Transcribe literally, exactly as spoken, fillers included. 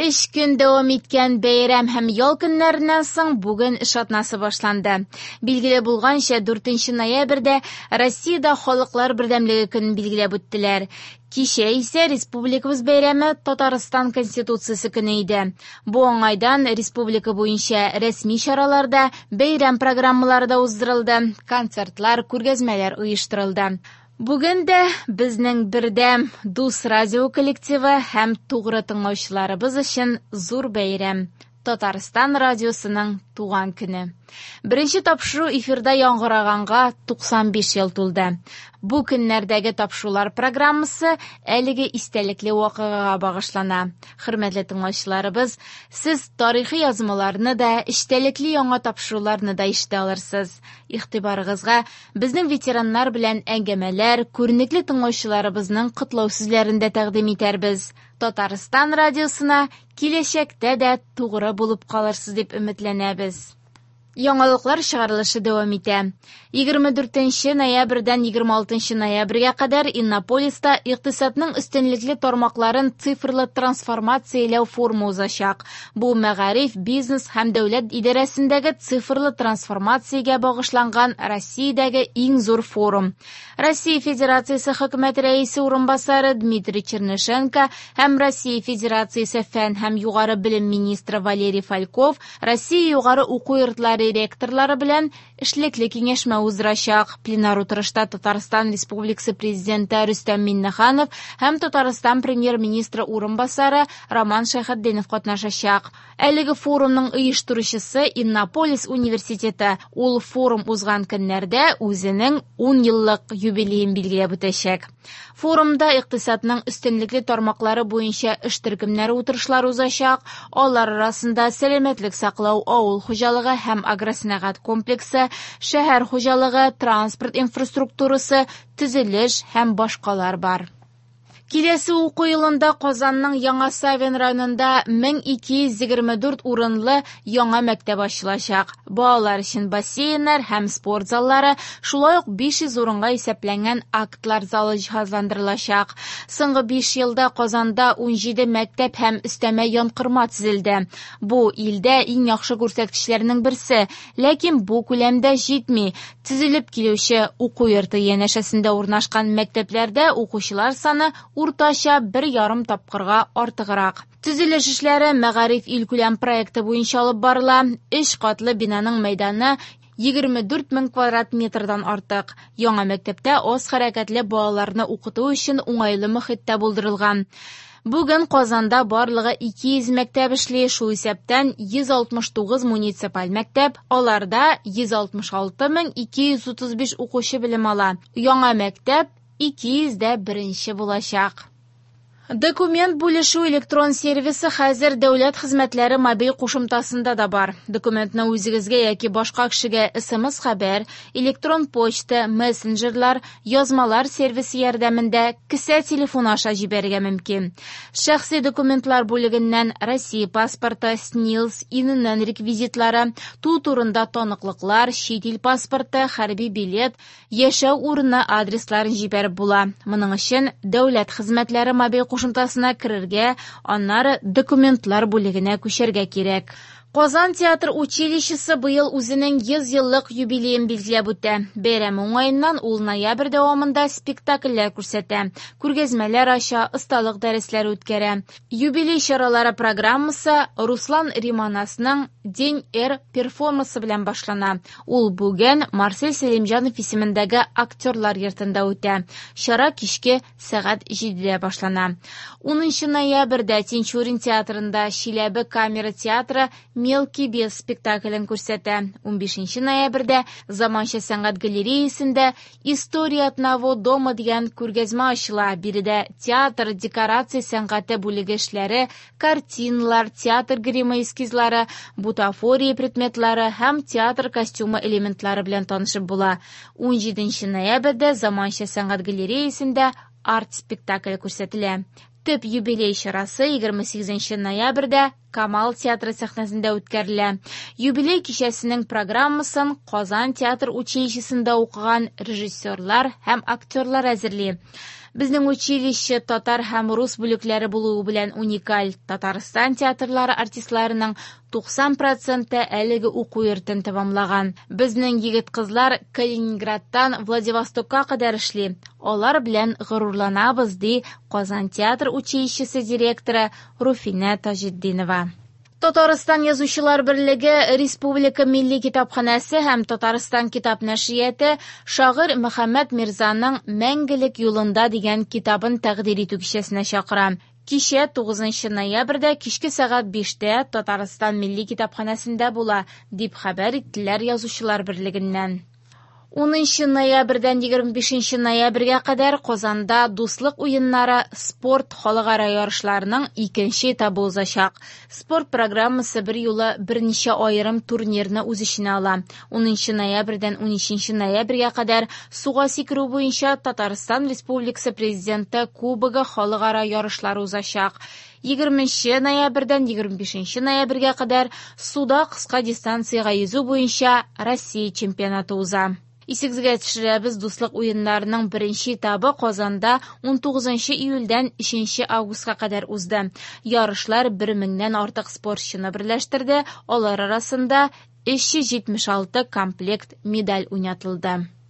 Өч көн дәвам иткән бәйрәм һәм ял көннәреннән соң бүген эш атнасы башланды. Билгеле булганча, дүртенче ноябрьдә Россиядә Халыклар бердәмлеге көнен билгеләп үттеләр. Кичә исә республикабыз бәйрәме Татарстан Конституциясе көне иде. Бу уңайдан республика буенча рәсми чаралар да, бәйрәм программалары да уздырылды, концертлар, күргәзмәләр оештырылды. Бүген дә безнең бердәм Дус радио коллективы һәм тугры тыңлаучыларыбыз өчен зур бәйрәм – Татарстан радиосының туган көне. Беренче тапшыру эфирда яңгыраганга туксан биш ел тулды. Бу көннәрдәге тапшырулар программасы әлеге истәлекле вакыйгага багышлана. Хөрмәтле тыңлаучыларыбыз, сез тарихи язмаларны да, эчтәлекле яңа тапшыруларны да ишетә алырсыз. Игътибарыгызга безнең ветераннар белән әңгәмәләр, күренекле тыңлаучыларыбызның котлау сүзләрен дә тәкъдим итәрбез. Татарстан радиосына киләчәктә дә тугры булып калырсыз дип өметләнәбез. Яңалыклар чыгарылышы дәвам итә. Егерме дүртенче ноябрьдән егерме алтынчы ноябрьгә кадәр Иннополиста икътисадның өстенлекле тармакларын цифрлы трансформацияләү форумы узачак. Бу мәгариф, бизнес һәм дәүләт идарәсендәге цифрлы трансформациягә багышланган Россиядәге иң зур форум. Россия Федерациясе хөкүмәт рәисе урынбасары Дмитрий Чернышенко һәм Россия Федерациясе фән һәм югары белем министры Валерий Фальков Россия югары уку йортлары ректорлары белән эшлекле киңәшмә уздырачак. Пленар утырышта Татарстан Республикасы президенты Рөстәм Миңнеханов һәм Татарстан премьер-министры урынбасары Роман Шәйхетдинов катнашачак. Әлеге форумның оештыручысы Иннополис университеты. Ул форум узган көннәрдә үзенең ун еллык юбилеен билгеләп үтәчәк. Форумда икътисадның өстенлекле тармаклары буенча эш төркемнәре утырышлары узачак. Алар арасында сәламәтлек саклау, авыл хуҗалыгы һәм агросәнәгать комплексы, шәһәр хуҗалыгы, транспорт инфраструктурасы, төзелеш һәм башкалар бар. Киләсе уку елында Казанның Яңа Савин районында мең ике йөз егерме дүрт урынлы яңа мәктәп ачылачак. Балалар өчен бассейннар һәм спорт заллары, шулай ук биш йөз урынга исәпләнгән актлар залы җиһазландырылачак. Соңгы биш елда Казанда ун җиде мәктәп һәм өстәмә янкорма төзелде. Бу илдә иң яхшы күрсәткечләрнең берсе, ләкин бу күләмдә җитми. Төзелеп килүче уку йорты янәшәсендә урнашкан мәктәпләрдә укучылар саны уртача бер ярым тапкырга артыграк. Төзелеш эшләре Мәгариф илкүләм проекты буенча алып барыла. Өч катлы бинаның мәйданы егерме дүрт мең квадрат метрдан артык. Яңа мәктәптә аз хәрәкәтле балаларны укыту өчен уңайлы мөхит тә булдырылган. Бүген Казанда барлыгы ике йөз мәктәп эшли, шул исәптән йөз алтмыш тугыз муниципаль мәктәп, аларда йөз алтмыш алты мең ике йөз утыз биш укучы белем ала. Яңа мәктәп ике йөз дә беренче булачак. Документ бүлешү электрон сервисы хәзер дәүләт хезмәтләре мобиль кушымтасында да бар. Документны үзегезгә яки башка кешегә эс эм эс хәбәр, электрон почта, мессенджерлар, язмалар сервисы ярдәмендә кесә телефоны аша җибәрергә мөмкин. Шәхси документлар бүлегеннән Россия паспорты, СНИЛС, ИНН реквизитлары, туу турында таныклыклар, чит ил паспорты, хәрби билет, яшәү урыны адресларын җибәреп була. Моның өчен дәүләт хезмәтләре мобиль кушымтасына керергә, аннары документлар бүлегенә күчәргә кирәк. Казан театр училищесы быел үзенең йөз еллык юбилеен билгеләп үтә. Бәйрәм уңаеннан ул ноябрь дәвамында спектакльләр күрсәтә, күргәзмәләр ача, осталык дәресләре үткәрә. Юбилей чаралары программасы Руслан Риманасның День Р перформансы белән башлана. Ул бүген Марсель Сәлимҗанов исемендәге актерлар йортында үтә. Чара кичке сәгать җидедә башлана. Унынчы ноябрьдә Тинчурин театрында Чиләбе камера театры Мелкий бес спектаклен күрсәтә. Унбишенче ноябрьдә Заманча сәнгать галереясендә История одного дома дигән күргәзмә ачыла. Биредә театр декорация сәнгате бүлеге эшләре, картиналар, театр гримы эскизлары, бутафория предметлары һәм театр костюмы элементлары белән танышып була. Унҗиденче ноябрьдә Заманча сәнгать галереясендә арт-спектакль күрсәтелә. Төп юбилей чарасы егерме сигезенче ноябрьдә Камал театры сәхнәсендә үткәрелә. Юбилей кичәсенең программасын Казан театр училищесында укыган режиссерлар һәм актерлар әзерли. Безнең училище татар һәм рус бүлекләре булуы белән уникаль. Татарстан театрлары артистларының туксан проценты әлеге уку йортын тәмамлаган. Безнең егет-кызлар Калининградтан Владивостокка кадәр эшли. Алар белән горурланабыз, ди Казан театр училищесы директоры Руфинә Таҗетдинова. Татарстан Язучылар берлеге Республика Милли китапханәсе һәм Татарстан китап нәшрияты шагыйрь Мөхәммәт Мирзаның «Мәңгелек юлында» дигән китабын тәкъдир итү кичәсенә чакыра. Кичә тугызынчы ноябрьдә кичке сәгать биштә Татарстан Милли китапханәсендә була, дип хәбәр иттеләр Язучылар берлегеннән. Унынчы ноябрьдән егерме бишенче ноябрьгә кадәр Казанда Дуслык уеннары спорт халыкара ярышларының икенче этабы узачак. Спорт программасы бер юлы берничә аерым турнирны үз эченә ала. Унынчы ноябрьдән унөченче ноябрьгә кадәр суга сикерү буенча Татарстан Республикасы Президенты Кубогы халыкара ярышлары узачак. Егерменче ноябрьдән егерме бишенче ноябрьгә кадәр суда кыска дистанциягә йөзү буенча Россия чемпионаты уза. Исегезгә төшерәбез, Дуслык уеннарының беренче этабы Казанда унтугызынчы июльдән өченче августка кадәр узды. Ярышлар бер меңнән артык спортчыны берләштерде, алар арасында өч йөз җитмеш алты комплект медаль уйнатылды.